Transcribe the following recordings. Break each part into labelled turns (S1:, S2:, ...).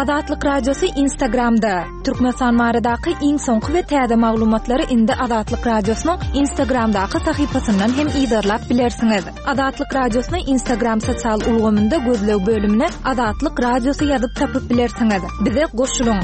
S1: Azatlyk Radiosy Instagramda! Türkmenistan baradaky iň soňky we täze maglumatlary indi Azatlyk Radiosynyň Instagramdaky sahypasyndan hem yzarlap bilersiňiz. Azatlyk Radiosyny Instagram sosial ulgamynda gözleg bölümine Azatlyk Radiosy ýazyp tapyp bilersiňiz. Bize goşulyň!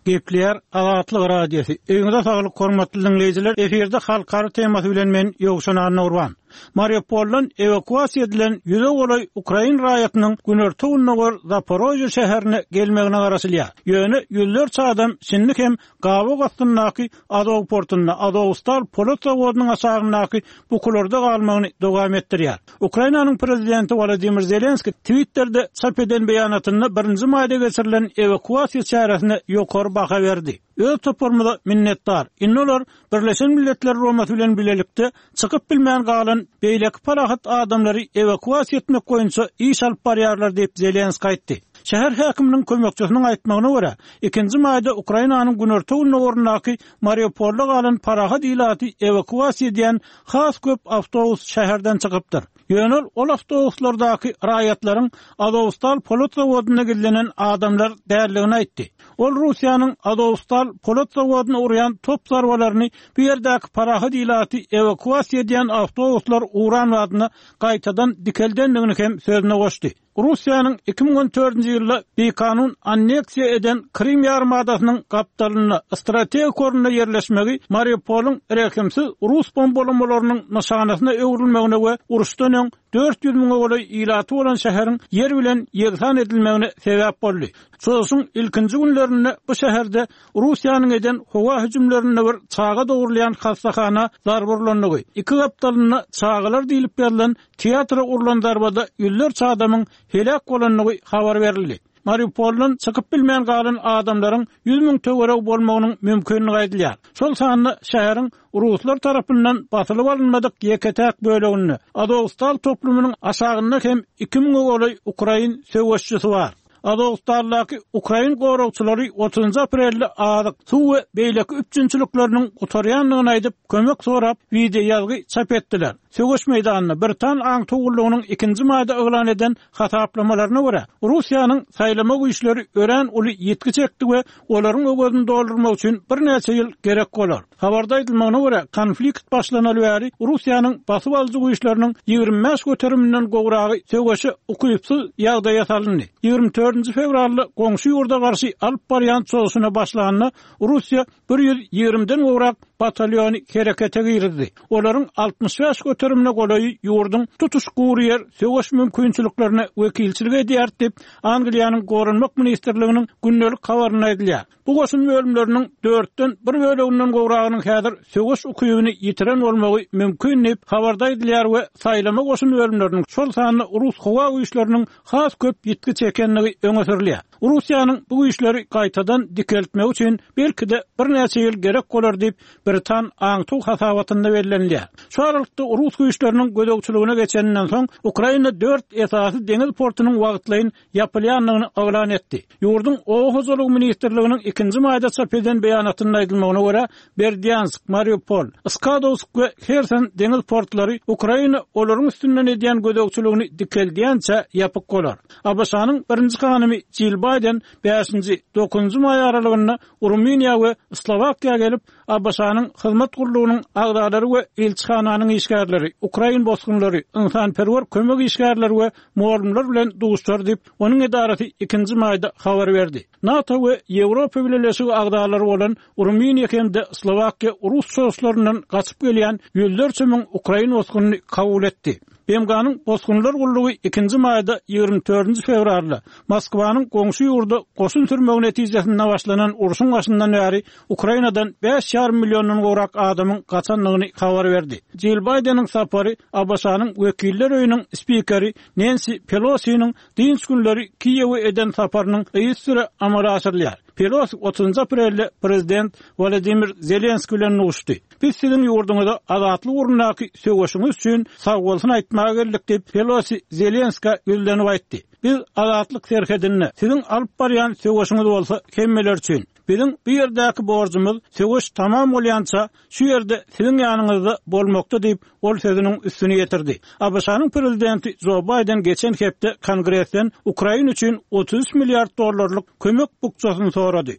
S2: Gepleýär Azatlyk Radiosy. Öýüňize saglyk hormatly diňleýjiler. Efirde halkara temasy bilen men Ýowşan Annagurban. Mariupoldan ewakuasiýa edilen ýüze golaý ukrain raýatynyň günorta-gündogar Zaporožýe şäherine gelmegine garaşylýar. Ýöne ýüzlerçe adam şindi hem gabaw astyndaky Azow portunda, Azowstal polat zawodynyň aşagyndaky bukularda galmagyny dowam etdirýär. Ukrainanyň prezidenti Wolodymyr Zelenskiý Twitterde çap eden beýanatynda birinji maýda geçirilen ewakuasiýa çäresine ýokary baha berdi. Öz toparymyza minnetdar. Indi olar Birleşen Milletler Guramasy bilen bilelikde çykyp bilmän galan beýleki parahat adamlary ewakuasiýa etmek boýunça iş alyp barýarlar diýip, Zelenskiý aýtdy. Şäher häkiminiň kömekçisiniň aýtmagyna görä, ikinji maýda Ukrainanyň günorta-gündogaryndaky Mariupolda galan parahat ilaty ewakuasiýa edýän has köp awtobus şäherden çykypdyr. Ýöne ol awtobuslardaky raýatlaryň Azowstal polat zawodynda gizlenen adamlar däldigini aýtdy. Ol Russiýanyň Azowstal polat zawodyna urýan top zarbalaryny bu ýerdäki parahat ilaty ewakuasiýa edýän awtobuslar uran badyna gaýtadan dikeldendigini hem sözüne goşdy. Russiýanyň 2014-nji ýylda bikanun anneksiýa eden Krym ýarymadasynyň gapdalynda strategik orunda ýerleşmegi Mariupolyň rehimsiz rus bombalamalarynyň nyşanasyna öwrülmegine we uruşdan öň 400 müňe golaý ilaty bolan şäheriň ýer bilen ýegsan edilmegine sebäp boldy. Çozuşyň ilkinji günlerinde bu şäherde Russiýanyň eden howa hüjümlerinde bir çaga dogrulýan hassahana zarba urlandygy, iki gapdalynda çagalar diýlip ýazylan Teatra urlan zarbada ýüzlerçe adamyň heläk bolandygy habar berildi. Mariupoldan çykyp bilmän galan adamlaryň 100 müň töweregi bolmagynyň mümkinligi aýdylýar. Şol sanda şäheriň ruslar tarapyndan basylyp alynmadyk ýeke-täk böleginde, Azowstal toplumynyň aşagynda hem iki müňe golaý ukrain söweşçisi bar. Azowstaldaky ukrain goragçylary otuzynjy aprelde azyk, suw we beýleki üpjünçilikleriniň gutarýandygyny aýdyp, kömek sorap, wideoýazgy çap etdiler. Söweş meýdanynda britan aňtaw gullugynyň ikinji maýda yglan eden hasaplamalaryna görä, Russiýanyň saýlama güýçleri örän uly ýitgi çekdi we olaryň öwezini doldurmak üçin birnäçe ýyl gerek bolar. Habarda aýdylmagyna görä, konflikt başlanaly bäri Russiýanyň basyp alyjy güýçleriniň 25 göteriminden gowragy söweşe ukypsyz ýagdaýa salyndy. 24-nji fewralda goňşy ýurda garşy alyp barýan çozuşyna başlanda, Russiýa bir ýüz ýigrimiden gowrak batalýony herekete girizdi. Olaryň 65 göterimine golaýy ýurduň tutuş gury ýer söweş mümkinçiliklerine wekilçilik edýär diýip, Angliýanyň Goranmak ministrliginiň gündelik habarynda aýdylýar. Bu goşun bölümleriniň dörtden bir böleginden gowragynyň häzir söweş ukybyny ýitiren bolmagy mümkin diýip, habarda aýdylýar we saýlama goşun bölümleriniň, şol sanda rus howa güýçleriniň has köp ýitgi çekendigi öňe sürülýär. Russiýanyň bu güýçleri gaýtadan dikeltmegi üçin belki-de birnäçe ýyl gerek bolar diýip, britan aňtaw hasabatynda bellenilýär. Şu aralykda rus güýçleriniň gözegçiligine geçeninden soň, Ukraina dört esasy deňiz portunyň wagtlaýyn ýapylýandygyny yglan etdi. Ýurduň Oba hojalygy ministrliginiň ikinji maýda çap eden beýanatynda aýdylmagyna görä, Berdýansk, Mariupol, Skadowsk we Herson deňiz portlary Ukraina olaryň üstünden edýän gözegçiligini dikeldýänçä ýapyk bolar. ABŞ-nyň birinji hanymy Jill Baýden bäşinji, dokuzynjy maý aralygynda Rumyniýa we Slowakiýa gelip, ABŞ-nyň hyzmat gullugynyň agzalary we ilçihananyň işgärleri, ukrain bosgunlary, ynsanperwer kömek işgärleri we mugallymlar bilen duşuşar diýip, onuň edarasy ikinji maýda habar berdi. NATO we Ýewropa Bileleşigi agzalary bolan Rumyniýa hem-de Slowakiýa rus çozuşlaryndan gaçyp gelýän ýüzlerçe müň ukrain bosgunyny kabul etdi. BMG-niň Bosgunlar gullugy ikinji maýda, 24-nji fewralda Moskwanyň goňşy ýurda goşun sürmegi netijesinde başlanan urşuň başyndan bäri Ukrainadan bäş ýarym milliondan gowrak adamyň gaçandygyny habar berdi. Jill Baýdeniň sapary ABŞ-nyň Wekiller öýüniň spikeri Nensi Pelosiniň dynç günleri Kiýewe eden saparynyň yzysüre amala aşyrylýar. Pelosi otuzynjy aprelde prezident Wolodymyr Zelenskiý bilen duşdy. Biz siziň ýurduňyza azatlyk ugrundaky söweşiňiz üçin sagbolsun aýtmaga geldik diýip, Pelosi Zelenskä ýüzlenip aýtdy. Biz azatlyk serhedinde, siziň alyp barýan söweşiňiz bolsa hemmeler üçin. Biziň bu ýerdäki borjumyz söweş tamam bolýança şu ýerde siziň ýanyňyzda bolmakda diýip, ol sözüniň üstüni ýetirdi. ABŞ-nyň prezidenti Jo Baýden geçen hepde Kongresden Ukraina üçin 33 milliard dollarlyk kömek bukjasyny sorady.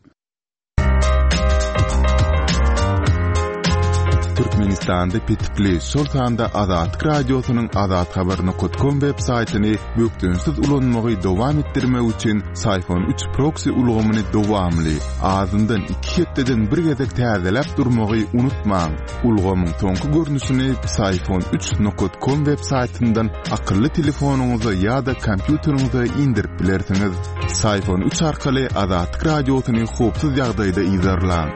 S3: Türkmenistanda petikli, şol sanda Azatlyk Radiosynyň azathabar.com web saýtyny bökdençsiz ulanmagy dowam etdirmek üçin Syfon 3 proksi ulgamyny dowamly, azyndan iki hepdeden bir gezek täzeläp durmagy unutmaň. Ulgamyň soňky görnüşini Psiphon 3 nokat com web saýtyndan akylly telefonyňyza ýa-da kompýuteriňize indirip bilersiňiz. Psiphon 3 arkaly Azatlyk Radiosyny howpsuz ýagdaýda yzarlaň.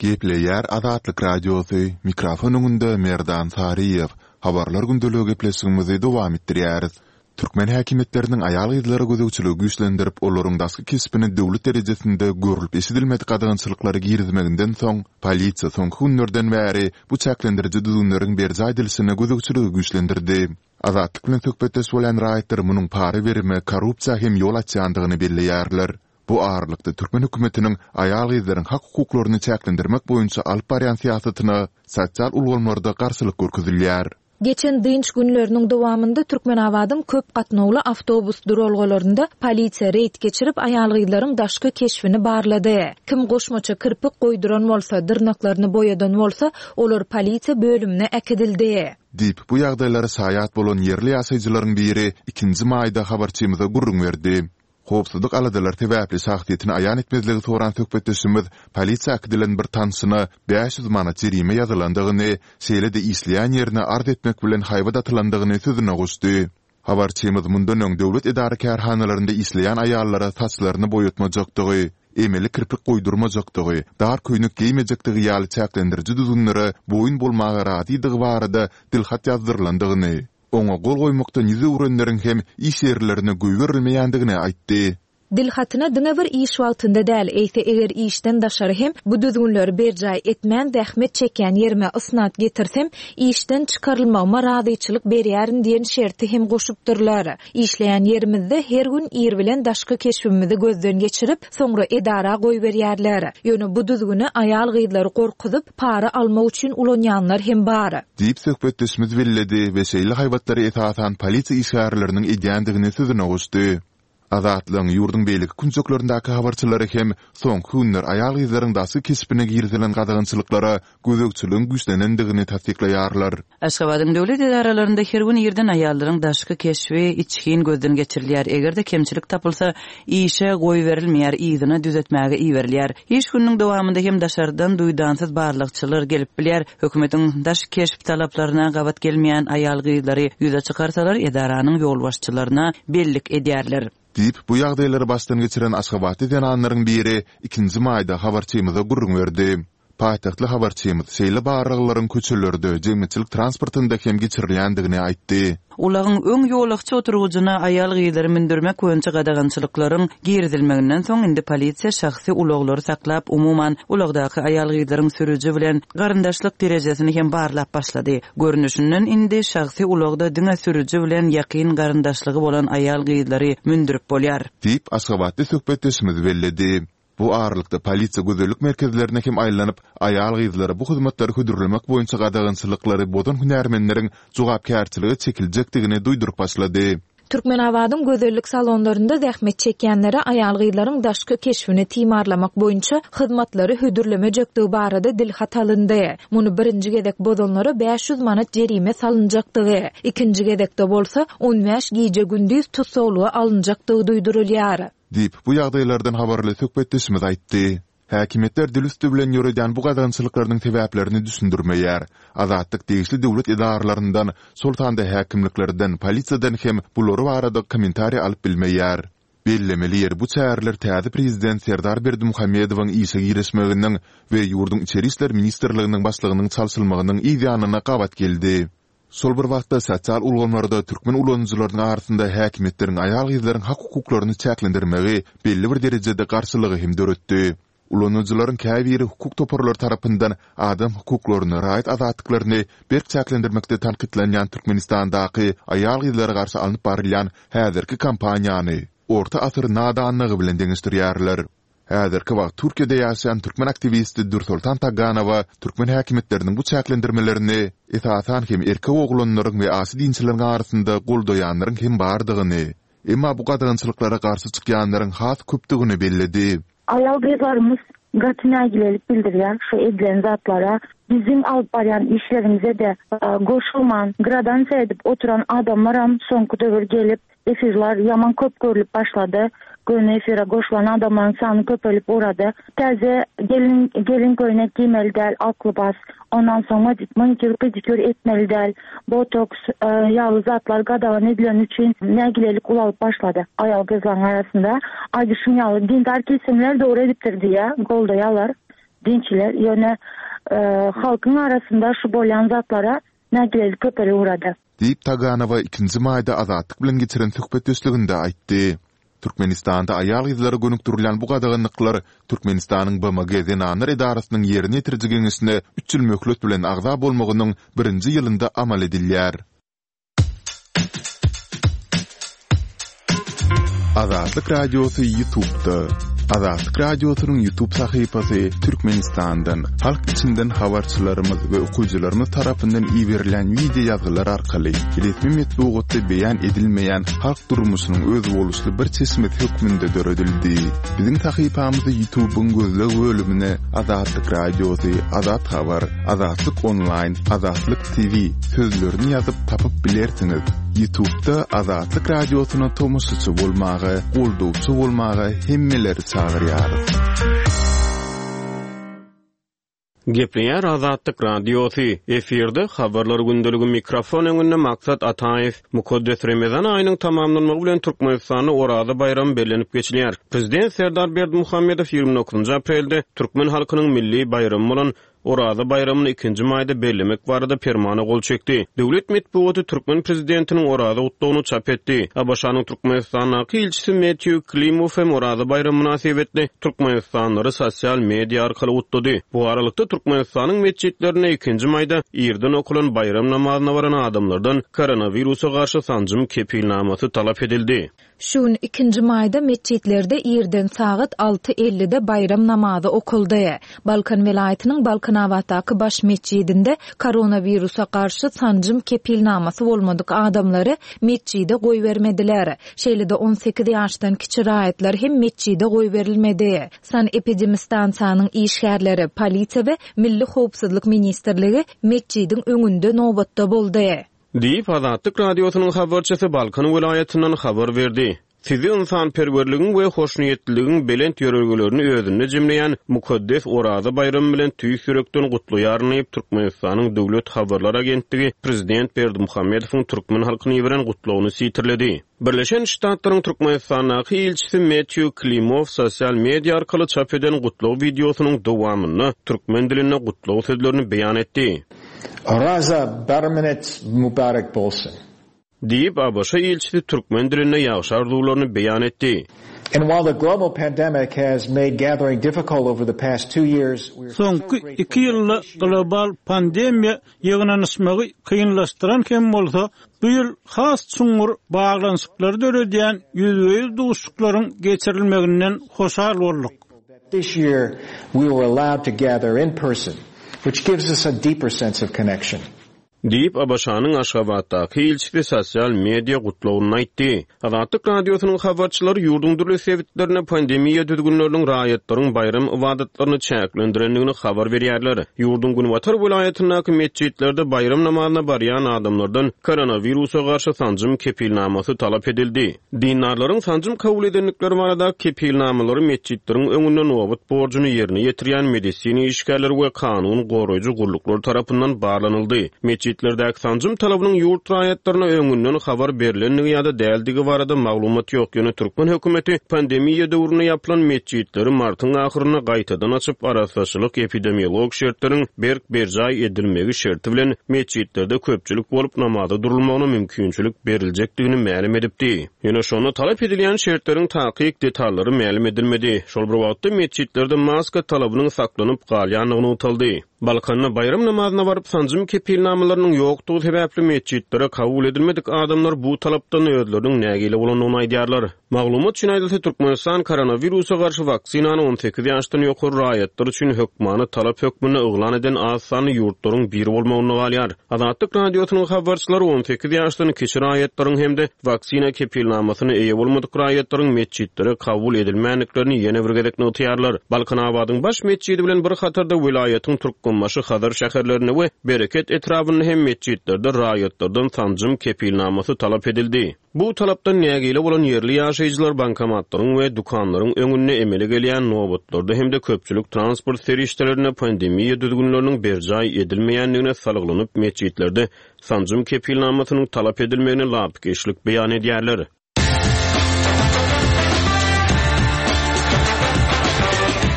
S3: Gepleýär Azatlyk Radiosy, mikrofon öňünde Merdan Saryýew. Habarlar gündeligi gepleşigimizi dowam etdirýäris. Türkmen häkimiýetleriniň aýal-gyzlara gözegçiligi güýçlendirip, olaryň daşky keşbine döwlet derejesinde görlüp-eşidilmedik gadagançylyklary girizmeginden soň, polisiýa soňky günlerden bäri bu çäklendiriji düzgünleriň berjaý edilişine gözegçiligi güýçlendirdi. Azatlyk bilen söhbetdeş bolýan raýatlar munuň para berime, korrupsiýa hem ýol açýandygyny belleýärler. Bu aralykda, türkmen hökümetiniň aýal-gyzlaryň hak-hukuklaryny çäklendirmek boýunça alyp barýan syýasatyna sosial ulgamlarda garşylyk görkezilýär.
S1: Geçen dynç günleriniň dowamynda Türkmenabadyň köp gatnawly awtobus duralgalarynda polisiýa reýd geçirip, aýal-gyzlaryň daşky keşbini barlady. Kim goşmaça kirpik goýduran bolsa, dyrnaklaryny boýadan bolsa, olar polisiýa bölümine äkidildi.
S3: Diýip, bu ýagdaýlara şaýat bolan ýerli ýaşaýjylaryň biri ikinji maýda habarçymyza gürrüň berdi. Howpsuzlyk aladalary sebäpli şahsyýetini aýan etmezligi soran söhbetdeşimiz polisiýa äkidilen bir tanşyna 500 manat jerime ýazylandygyny, şeýle-de işleýän ýerine arz etmek bilen haýbat atylandygyny sözüne goşdy. Habarçymyz mundan öň döwlet edara-kärhanalarynda işleýän aýallara saçlaryny boýatmajakdygy, emeli kirpik goýdurmajakdygy, dar köýnek geýmejekdigi ýaly çäklendiriji düzgünlere boýun bolmaga razydygy barada dilhat ýazdyrylandygyny, Oňa gol goýmakdan ýüz öwrenleriň hem iş ýerlerine goýberilmeýändigini aýtdy.
S1: Dil hatyna diňe bir iş wagtynda däl, eýse eger işden daşary hem bu düzgünleri berjaý etmän zähmet çekýän ýerime ysnat getirsem, işden çykarylmagyma razyçylyk berýärin diýen şerti hem goşupdyrlar. Işleýän ýerimizde her gün ir bilen daşky keşbimizi gözden geçirip, soňra edara goýberýärler. Ýöne bu düzgüni aýal-gyzlary gorkuzyp, para almak üçin ulanýanlar hem bar.
S3: Diýip, söhbetdeşimiz belledi we şeýle haýbatlary esasan polisiýa işgärleriniň edýändigini sözüne goşdy. Azatlygyň ýurduň beýleki künjeklerindäki habarçylary hem soňky günler aýal-gyzlaryň daşky keşbine girizilen gadagançylyklara gözegçiligiň güýçlenendigini tassyklaýarlar.
S4: Aşgabadyň döwlet edaralarynda her gün irden aýallaryň daşky keşbi içgin gözden geçirilýär. Eger-de kemçilik tapylsa, işe goýberilmeýär, yzyna düzetmäge iberilýär. Iş gününiň dowamynda hem daşardan duýdansyz barlagçylar gelip bilýär. Hökümetiň daş keşp talaplaryna gabat gelmeýän aýal-gyzlary ýüze çykarsalar, edaranyň ýolbaşçylaryna bellik edýärler.
S3: Diýip, bu ýagdaýlary başdan geçiren aşgabatly zenanlaryň biri ikinji maýda habarçymyza gürrüň berdi. Paýtagtly habarçymyz şeýle barlaglaryň köçelerde, jemgyýetçilik transportynda hem geçirilýändigini aýtdy.
S4: Ulagyň öň ýolagçy oturgyjyna aýal-gyzlary mündürmek boýunça gadagançylyklaryň girizilmeginden soň, indi polisiýa şahsy ulaglary saklap, umuman, ulagdaky aýal-gyzlaryň sürüji bilen garyndaşlyk derejesini hem barlap başlady. Görnüşinden, indi şahsy ulagda diňe sürüji bilen ýakyn garyndaşlygy bolan aýal-gyzlary mündürip bolýar.
S3: Diýip, aşgabatly söhbetdeşimiz belledi. Bu aralykda, polisiýa gözellik merkezlerine hem aýlanyp, aýal-gyzlara bu hyzmatlary hödürlemek boýunça gadagançylyklary bozan hünärmenleriň jogapkärçilige çekiljekdigini duýduryp başlady.
S1: Türkmenabadyň gözellik salonlarynda zähmet çekýänlere aýal-gyzlaryň daşky keşbini timarlamak boýunça hyzmatlary hödürlemejekdigi barada dilhat alyndy. Muny birinji gezek bozanlara 500 manat jerime salynjakdygy, ikinji gezekde bolsa, on bäş gije-gündiz tussaglyga alynjakdygy duýdurylýar.
S3: Diýip, bu ýagdaýlardan habarly söhbetdeşimiz aýtdy. Häkimiýetler dil üsti bilen ýöredýän bu gadagançylyklarynyň sebäplerini düşündirmeýär. Azatlyk degişli döwlet edaralaryndan, şol sanda häkimliklerden, polisiýadan hem bular barada kommentariý alyp bilmeýär. Bellemeli ýeri, bu çäreler täze prezident Serdar Berdimuhamedowyň işe girişmeginiň we ýurduň Içeri işler ministrliginiň başlygynyň çalşylmagynyň yz ýanyna gabat geldi. Şol bir wagtda, sosial ulgamlarda türkmen ulanyjylarynyň arasynda häkimiýetleriň aýal-gyzlaryň hak-hukuklaryny çäklendirmegi belli bir derejede garşylygy hem döretdi. Ulanyjylaryň käbiri hukuk toparlary tarapyndan adam hukuklaryny, raýat azatlyklaryny berk çäklendirmekde tankytlanýan Türkmenistandaky aýal-gyzlara garşy alnyp barylýan häzirki kampaniýany. orta asyr nadanlygy bilen deňeşdirýärler. Häzirki wagt Türkiýede ýaşaýan türkmen aktiwisti Dürsoltan Taganowa türkmen häkimiýetleriniň bu çäklendirmelerini, esasan hem erkek oglanlaryň we aşa dinçileriň arasynda goldaýanlaryň hem bardygyny, emma bu gadagançylyklara garşy çykýanlaryň has köpdügini belledi.
S5: Aýal-gyzlarymyz gaty nägilelik bildirýär şu edilen zatlara. Biziň alyp barýan işlerimize-de goşulman, gradansiýa edip oturan adamlaram soňky döwür gelip, Efirler ýaman köp görlüp başlady. Göni efire goşulan adamlaryň sany köpelip ugrady. Täze gelin gelin köýnek giýmeli däl, ak lybas. Ondan soň manikýur, pedikýur etmeli däl. Botoks ýaly zatlar gadagan edileni üçin nägilelik ulalyp başlady aýal-gyzlaryň arasynda. Aýdyşym ýaly, dindar kesimler dogry edipdir diýýär, goldaýarlar dinçiler. Ýöne halkyň arasynda şu bolýan zatlara nägilelik köpelip ugrady.
S3: Diýip, Taganowa ikinji maýda Azatlyk bilen geçiren söhbetdeşliginde aýtdy. Türkmenistanda aýal-gyzlara gönükdirilýän bu gadaganlyklar Türkmenistanyň BMG Zenanlar edarasynyň Ýerine ýetiriji geňeşine üç ýyl möhlet bilen agza bolmagynyň birinji ýylynda amal edilýär. Azatlyk Radiosy Ýutubda. Azatlyk Radiosynyň Ýutub sahypasy Türkmenistandan, halk içinden habarçylarymyz we okyjylarymyz tarapyndan iberilýän wideo ýazgylar arkaly resmi metbugatda beýan edilmeýän halk durmuşynyň özboluşly bir çeşmesi hökmünde döredildi. Biziň sahypamyzy Ýutubyň gözleg bölümine Azatlyk Radiosy, Azat Habar, Azatlyk Onlaýn, Azatlyk TV sözlerini ýazyp tapyp bilersiňiz. Ýutubda Azatlyk Radiosyna tomaşaçy bolmaga, goldawçy bolmaga hemmeleri çagyrýarys.
S6: Gepleýär Azatlyk Radiosy, efirde Habarlar gündeligi mikrofon öňünde Maksat Ataýew. Mukaddes Remezan aýynyň tamamlanmagy bilen Türkmenistanda Oraza baýramy bellenip geçilýär. Prezident Serdar Berdimuhamedow 29 aprelde türkmen halkynyň milli baýramy bolan Oraza baýramyny ikinji maýda bellemek barada Permana gol çekdi. Döwlet metbugaty türkmen prezidentiniň Oraza gutlagyny çap etdi. ABŞ-nyň Türkmenistandaky ilçisi Metýu Klimow hem Oraza baýramy mynasybetli türkmenistanlylary sosial media arkaly gutlady. Bu aralykda, Türkmenistanyň metjitlerinde ikinji maýda irden okalan baýram namazyna baran adamlardan koronawirusa garşy sanjym kepilnamasy talap edildi.
S1: Şu gün, ikinji maýda metjitlerde irden sagat alty ellide baýram namazy okaldy. Balkan welaýatynyň Balkanabatdaky baş metjidinde koronawirusa garşy sanjym kepilnamasy bolmadyk adamlary metjide goýbermediler. Şeýle-de 18 ýaşdan kiçi raýatlar hem metjide goýberilmedi. Sanepidemistansiýanyň işgärleri, polisiýa we Milli howpsuzlyk ministrligi metjidiň öňünde nobatda boldy.
S6: Diýip, Azatlyk Radiosynyň habarçysy Balkan welaýatyndan habar berdi. Sizi ynsanperwerligiň we hoşniýetliligiň belent ýörelgelerini özünde jemleýän mukaddes Oraza baýramy bilen tüýs ýürekden gutlaýaryn diýip, Türkmenistanyň Döwlet habarlar agentligi prezident Berdimuhamedowyň türkmen halkyna iberen gutlagyny sitirledi. Birleşen Ştatlaryň Türkmenistandaky ilçisi Metýu Klimow sosial media arkaly çap eden gutlag wideosynyň dowamynda türkmen dilinde gutlag sözlerini beýan etdi.
S7: Oraza baramynyz mübarek bolsun!
S6: Diýip, ABŞ ilçisi türkmen dilinde ýagşy arzuwlaryny beýan etdi.
S7: And while the global pandemic has made gathering difficult over the past two years, we are so
S2: Soňky
S7: grateful
S2: iki
S7: that
S2: ýylda
S7: this year
S2: global pandemiýa ýygnanyşmagy kynlaşdyran hem bolsa, bu ýyl has çuňňur baglanyşyklary döredýän ýüzbe-ýüz duşuşyklaryň geçirilmeginden hoşal bolduk.
S7: This year we were allowed to gather in person, which gives us a deeper sense of connection.
S6: Diýip, ABŞ-nyň Aşgabatdaky ilçisi sosial media gutlagynda aýtdy. Azatlyk Radiosynyň habarçylary ýurduň dürli sebitlerinde pandemiýa düzgünleriniň raýatlaryň baýram ybadatlaryny çäklendirendigini habar berýärler. Ýurduň günbatar welaýatyndaky metjitlerde baýram namazyna barýan adamlardan koronawirusa garşy sanjym kepilnamasy talap edildi. Dindarlaryň sanjym kabul edendikleri baradaky kepilnamalary metjitleriň öňünde nobat borjuny ýerine ýetirýän medisina işgärleri we kanun goraýjy gulluklar tarapyndan barlanyldy. Metjitlerdäki sanjym talabynyň ýurt raýatlaryna öňünden habar berlendigi ýa-da däldigi barada maglumat ýok, ýöne türkmen hökümeti pandemiýa döwründe ýapylan metjitleri martyň ahyrynda gaýtadan açyp, arassaçylyk-epidemiologik şertleriň berk berjaý edilmegi şerti bilen metjitlerde köpçülik bolup namaza durulmagyna mümkinçilik beriljekdigini mälim edipdi. Ýöne şonda talap edilýän şertleriň takyk detallary mälim edilmedi. Şol bir wagtda, metjitlerde maska talabynyň saklanyp galýandygy nygtaldy. Balkanda baýram namazyna baryp, sanjym kepilnamalarynyň ýokdugy sebäpli metjitlere kabul edilmedik adamlar bu talapdan özleriniň nägile bolandygyny aýdýarlar. Maglumat üçin aýdylsa, Türkmenistan koronawirusa garşy waksinany 18 ýaşdan ýokary raýatlar üçin hökmany talap hökmünde yglan eden az sanly ýurtlaryň biri bolmagynda galýar. Azatlyk Radiosynyň habarçylary 18 ýaşdan kiçi raýatlaryň hem-de waksina kepilnamasyna eýe bolmadyk raýatlaryň metjitlere kabul edilmändiklerini ýene bir gezek nygtaýarlar. Balkanabadyň baş metjidi bilen bir hatarda welaýatyň Türkmenbaşy, Hazar şäherlerinde we Bereket etrabynda hem metjitlerde raýatlardan sanjym kepilnamasy talap edildi. Bu talapdan nägile bolan ýerli ýaşaýjylar bankomatlaryň we dükanlaryň öňünde emele gelýän nobatlarda hem-de köpçülik transport serişdelerinde pandemiýa düzgünleriniň berjaý edilmeýändigine salgylanyp, metjitlerde sanjym kepilnamasynyň talap edilmegine lapykeçlik beýan edýärler.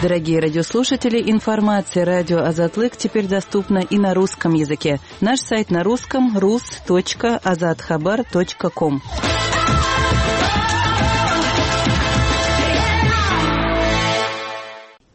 S4: Дорогие радиослушатели, информация радио Азатлык теперь доступна и на русском языке. Наш сайт на русском rus.azathabar.com.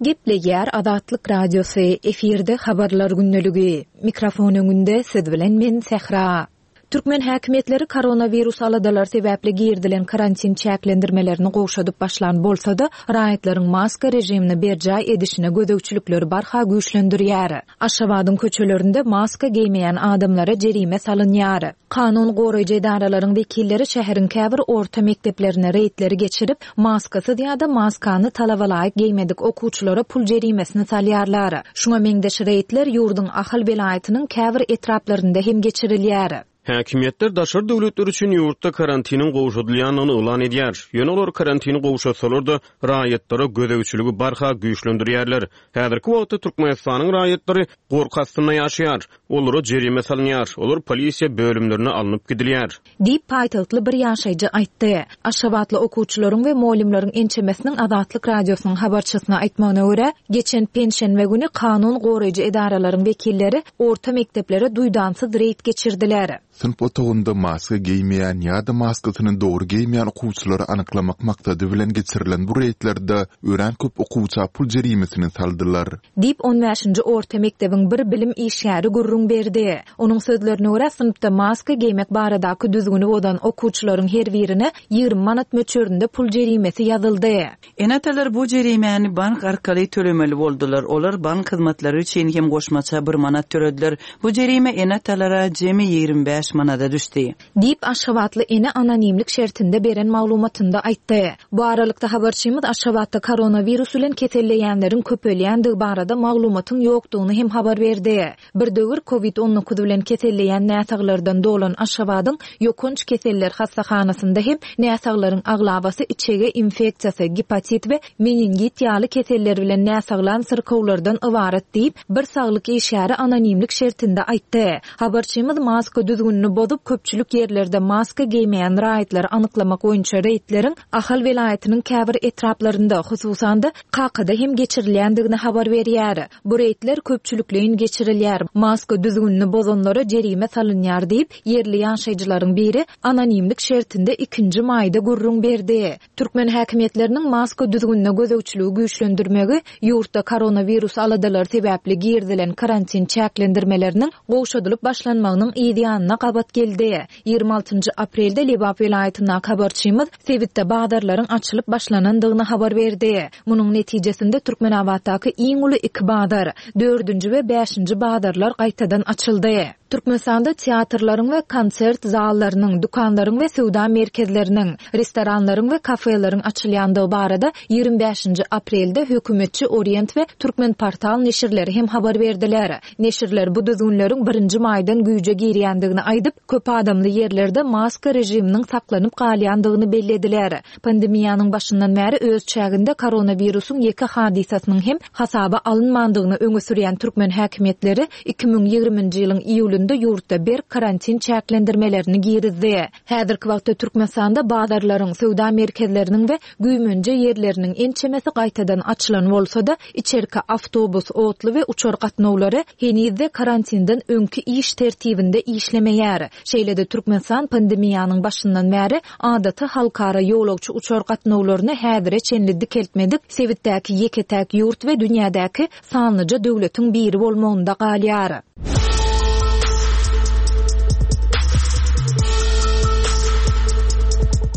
S1: Gepleýär Azatlyk Radiosy, efirde Habarlar gündeligi. Mikrofon öňünde siz bilen men Sähra. Türkmen häkimiýetleri koronawirus aladalary sebäpli girizilen karantin çäklendirmelerini gowşadyp başlan bolsa-da, raýatlaryň maska režimini berjaý edişine gözegçilikleri barha güýçlendirýär. Aşgabadyň köçelerinde maska geýmeýän adamlara jerime salynýar. Kanun goraýjy edaralaryň wekilleri şäheriň käbir orta mekdeplerinde reýdleri geçirip, maskasyz ýa-da maskany talabalaýyk geýmedik okuwçylara pul jerimesini salýarlar. Şuňa meňzeş reýdler ýurduň Ahal welaýatynyň käbir etraplarynda hem geçirilýär.
S6: Häkimiýetler daşary döwletler üçin ýurtda karantiniň gowşadylýandygyny yglan edýär. Ýöne olar karantini gowşatsalar-da, raýatlara gözegçiligi barha güýçlendirýärler. Häzirki wagtda Türkmenistanyň raýatlary gorky astynda ýaşaýar. Olara jerime salynýar, olar polisiýa bölümlerine alnyp gidilýär.
S1: Diýip, paýtagtly bir ýaşaýjy aýtdy. Aşgabatly okuwçylaryň we mugallymlaryň ençemesiniň Azatlyk Radiosynyň habarçysyna aýtmagyna görä, geçen penşenbe güni kanun goraýjy edaralaryň wekilleri orta mekdeplere duýdansyz reýd geçirdiler.
S3: Synp otagynda maska geýmeýän ýa-da maskasyny dogry geýmeýän okuwçylary anyklamak maksady bilen geçirilen bu reýdlerde örän köp okuwça pul jerimesini saldylar.
S1: Diýip, on bäşinji orta mekdebiň bir bilim işgäri gürrüň berdi. Onuň sözlerine görä, synpda maska geýmek baradaky düzgüni bozan okuwçylaryň her birine 20 manat möçberinde pul jerimesi ýazyldy.
S4: Ene-atalar bu jerimäni bank arkaly tölemeli boldular. Olar bank hyzmatlary üçin hem goşmaça bir manat tölediler. Bu jerime ene-atalara jemi 25 manada düşdi.
S1: Diýip, aşgabatly ene anonimlik şertinde beren maglumatynda aýtdy. Bu aralykda, habarçymyz Aşgabatda koronawirus bilen keselleýänleriň köpelýändigi barada maglumatyň ýokdugyny hem habar berdi. Bir döwür Covid 19 bilen keselleýän näsaglardan dolan Aşgabadyň ýokanç keseller hassahanasynda hem näsaglaryň aglabasy içege infeksiýasy, gepatit we meningit ýaly keseller bilen näsaglan syrkawlardan ybarat diýip, bir saglyk işgäri anonimlik şertinde aýtdy. Habarçymyz maska düzgünini bozup, köpçülik ýerlerde maska geýmeýän raýatlary anyklamak boýunça reýdleriň Ahal welaýatynyň käbir etraplarynda, hususan-da, Kakada hem geçirilýändigini habar berýär. Bu reýdler köpçülikleýin geçirilýär, maska düzgünini bozanlara jerime salynýar diýip, ýerli ýaşaýjylaryň biri anonimlik şertinde ikinji maýda gürrüň berdi. Türkmen häkimiýetleriniň maska düzgünine gözegçiligi güýçlendirmegi ýurtda koronawirus aladalary sebäpli girizilen karantin çäklendirmeleriniň gowşadylyp başlanmagynyň yz ýanyna gabat geldi. 26-njy aprelde Lebap welaýatyndaky habarçymyz sebitde bazarlaryň açylyp başlanandygyny habar berdi. Munuň netijesinde Türkmenabatdaky iň uly iki bazar, dördünji we bäşinji bazarlar gaýtadan açyldy. Türkmenistanda teatrlaryň we konsert zallarynyň, dükanlaryň we söwda merkezleriniň, restoranlaryň we kafeleriň açylýandygy barada 25-nji aprelde hökümetçi Orient we Türkmenportal neşirleri hem habar berdiler. Neşirler bu düzgünleriň birinji maýdan güýje girýändigini aýdyp, köp adamly ýerlerde maska režiminiň saklanyp galýandygyny bellediler. Pandemiýanyň başyndan bäri öz çäginde koronawirusyň ýeke hadysasynyň hem hasaba alynmandygyny öňe sürýän türkmen häkimiýetleri 2020-nji ýylyň iýulynda. döwründe ýurtda berk karantin çäklendirmelerini girizdi. Häzirki wagtda Türkmenistanda bazarlaryň, söwda merkezleriniň we güýmenje ýerleriniň ençemesi gaýtadan açylan bolsa-da, içerki awtobus, otly we uçar gatnawlary heniz-de karantinden öňki iş tertibinde işlemeýär. Şeýle-de Türkmenistan pandemiýanyň başyndan bäri adaty halkara ýolagçy uçar gatnawlaryny häzire çenli dikeltmedik sebitdäki ýeke-täk ýurt we dünýädäki sanlyja döwletiň biri bolmagynda galýar.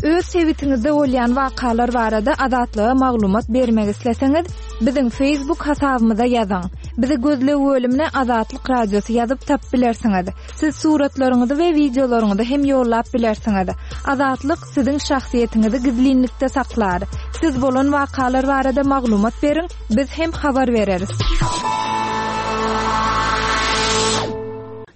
S8: Öz sebitiňizde bolýan wakalar barada Azatlyga maglumat bermek isleseňiz, biziň Facebook hasabymyza ýazyň. Bizi gözleg bölümine Azatlyk Radiosy ýazyp tapyp bilersiňiz. Siz suratlaryňyzy we wideolaryňyzy hem ýollap bilersiňiz. Azatlyk siziň şahsyýetiňizi gizlinlikde saklar. Siz bolan wakalar barada maglumat beriň, biz hem habar bereris.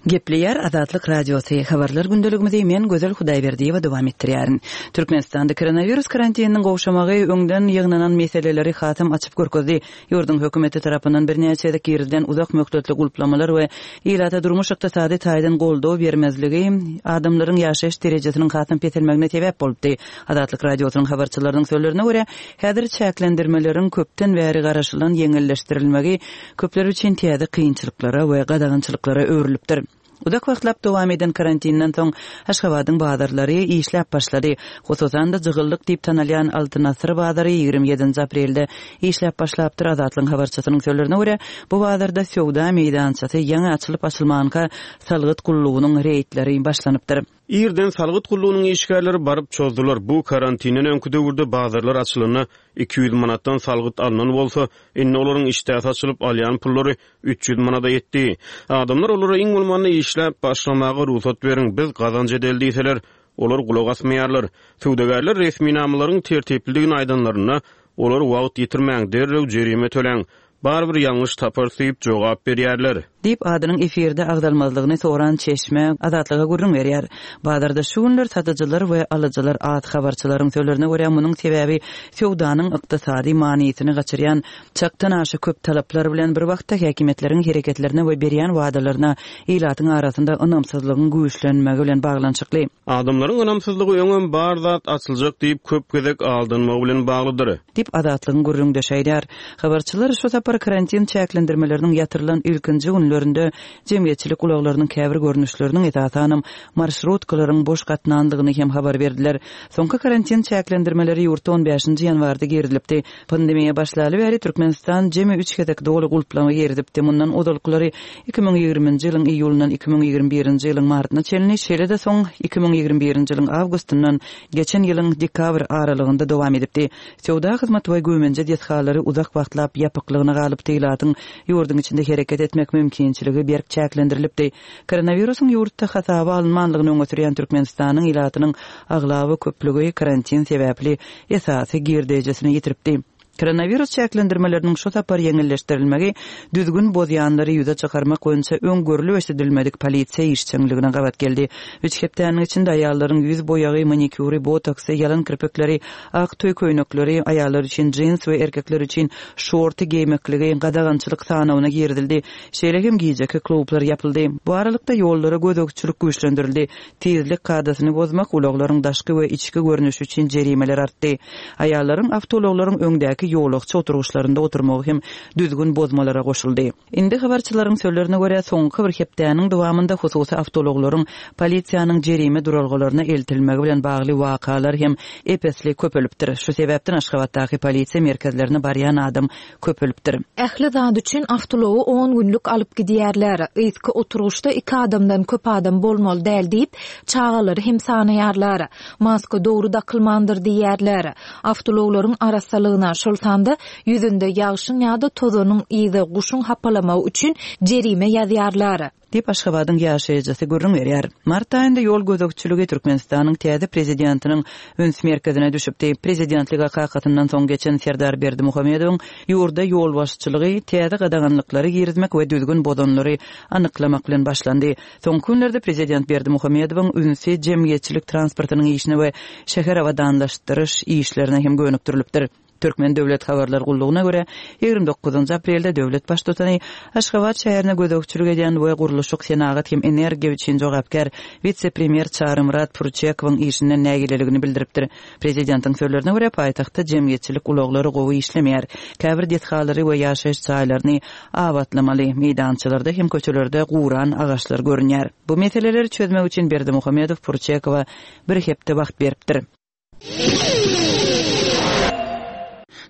S4: Gepleýär Azatlyk Radiosy, Habarlar gündeligimizi men Gözel Hudaýberdiýewa dowam etdirýärin. Türkmenistanda koronawirus karantininiň gowşamagy öňden ýygnanan meseleleri hasam açyp görkezdi. Ýurduň hökümeti tarapyndan birnäçe gezek girizilen uzak möhletli gulplamalar we ilata durmuş-ykdysady taýdan goldaw bermezligi adamlaryň ýaşaýyş derejesiniň hasam peselmegine sebäp bolupdy. Azatlyk Radiosynyň habarçylarynyň sözlerine görä, häzir çäklendirmeleriň köpden bäri garaşylan ýeňilleşdirilmegi köpler üçin täze kynçylyklara we gadagançylyklara öwrülipdir. Uzak wagtlap dowam eden karantinden soň Aşgabadyň bazarlary işläp başlady. Hususan-da, jygyllyk diýip tanalýan Altyn asyr bazary 27-nji aprelde işläp başlapdyr. Azatlygyň habarçysynyň sözlerine görä, bu bazarda söwda meýdançasy ýaňy açylyp-açylmanka salgyt gullugynyň reýdleri başlanypdyr.
S6: Irden salgyt gullugynyň işgärleri baryp çozdular. Bu karantinden öňki döwürde bazarlar açylanda 200 manatdan salgyt alnan bolsa, indi olaryň işdäsi açylyp, alýan pullary 300 manada ýetdi. Adamlar olara iň bolmanda işläp başlamaga rugsat beriň, biz gazanç edeli diýseler, olar gulak asmaýarlar. Söwdagärler resminamalaryň tertiplidigini aýdanlarynda, olar wagt ýitirmäň, derrew jerime töläň, barybir ýalňyş taparys diýip jogap berýärler.
S4: Diýip, adynyň efirde agzalmazlygyny soran çeşme Azatlyga gürrüň berýär. Bazarda şu günler satyjylar we alyjylar az. Habarçylaryň sözlerine görä, munuň sebäbi söwdanyň ykdysady manysyny gaçyrýan Çakdan aşa köp talaplar bilen bir wagtda häkimiýetleriň hereketlerine we berýän wadalaryna ilatyň arasynda ynamsyzlygyň güýçlenmegi bilen baglanyşykly.
S6: Adamlaryň ynamsyzlygy öňem bar zat açyljak diýip köp gezek aldanmagy bilen baglydyr.
S4: Diýip, Azatlygyň gürrüňdeşi aýdýar. Habarçylar şu sapar karantin çäklendirmeleriniň ýatyrylan ilkinji günlerinde jemgyýetçilik ulaglarynyň käbir görnüşleriniň, esasanam, marşrutkalaryň boş gatnandygyny hem habar berdiler. Soňky karantin çäklendirmeleri ýurtda on bäşinji ýanwarda girizilipdi. Pandemiýa başlaly bäri Türkmenistan jemi üç gezek doly gulplama girizipdi. Mundan ozalkylary 2020-nji ýylyň iýulyndan 2021-nji ýylyň martyna çenli, şeýle-de soň 2021-nji ýylyň awgustyndan geçen ýylyň dekabr aralygynda dowam edipdi. Söwda, hyzmat we güýmenje desgalary uzak wagtlap ýapyklygyna galypdy, ilatyň ýurduň içinde hereket etmek mümkinçiligi berk çäklendirilipdi. Koronawirusyň ýurtda hasaba alynmanlygyny öňe sürýän Türkmenistanyň ilatynyň aglaba köplügi karantin sebäpli esasy girdeýjisini ýitiripdi. Koronawirus çäklendirmeleriniň şu sapar ýeňilleşdirilmegi düzgün bozýanlary ýüze çykarmak boýunça öň görlüp-eşidilmedik polisiýa işjeňligine gabat geldi. Üç hepdäniň içinde aýallaryň ýüz boýagy, manikýury, botoksy, ýalan kirpikleri, ak toý köýnekleri, aýallar üçin jins we erkekler üçin şorty geýmekligi gadagançylyk sanawyna girizildi. Şeýle hem gijeki klublar ýapyldy. Bu aralykda ýollara gözegçilik güýçlendirildi. Tizlik kadasyny bozmak, ulaglaryň daşky we içki görnüşi üçin jerimeler artdy. Aýallaryň awtoulaglaryň öňdäki ýolagçy oturgyçlarynda oturmagy hem düzgün bozmalara goşuldy. Indi habarçylaryň sözlerine görä, soňky bir hepdäniň dowamynda hususy awtoulaglaryň polisiýanyň jerime duralgalaryna eltilmegi bilen bagly wakalar hem ep-esli köpelipdir. Şu sebäpden Aşgabatdaky polisiýa merkezlerine barýan adam köpelipdir.
S1: Ähli zat üçin awtoulagy on günlük alyp gidýärler. Yzky oturgyçda iki adamdan köp adam bolmaly däl diýip, çagalary hem sanaýarlar. Maska dogry dakylmandyr diýýärler. Awtoulaglaryň arassalygyna, şol sanda ýüzünde ýagşyň ýa-da tozanyň yzy, guşuň hapalamagy üçin jerime ýazýarlar.
S4: Diýip, Aşgabadyň ýaşaýjysy gürrüň berýär. Mart aýynda ýol gözegçiligi Türkmenistanyň täze prezidentiniň üns merkezine düşüpdi. Prezidentlige kakasyndan soň geçen Serdar Berdimuhamedowyň ýurda ýolbaşçylygy täze gadaganlyklary girizmek we düzgün bozanlary anyklamak bilen başlandy. Soňky günlerde prezident Berdimuhamedowyň ünsi jemgyýetçilik transportynyň işine we şäher abadanlaşdyryş işlerine hem gönükdirilipdir. Türkmen döwlet habarlar gullugyna görä, 29 aprelde döwlet baştutany Aşgabat şäherine gözegçilik edýän we gurluşyk, senagat hem energiýa üçin jogapkär wise-premýer Çarymyrat Pürçekowyň işinden nägileligini bildiripdir. Prezidentiň sözlerine görä, paýtagtda jemgyýetçilik ulaglary gowy işlemeýär. Käbir desgalary we ýaşaýyş jaýlaryny abatlamaly, meýdançalarda hem köçelerde guran agaçlar görünýär. Bu meseleleri çözmek üçin Berdimuhamedow Purçekowa bir hepde wagt beripdir.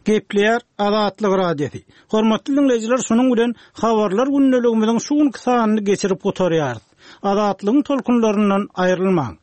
S2: Gepleýär Azatlyk Radiosy. Hormatly diňleýjiler, şunuň bilen Habarlar gündeligimiziň şu günki sanyny geçirip gutarýarys. Azatlygyň tolkunlaryndan aýrylmaň.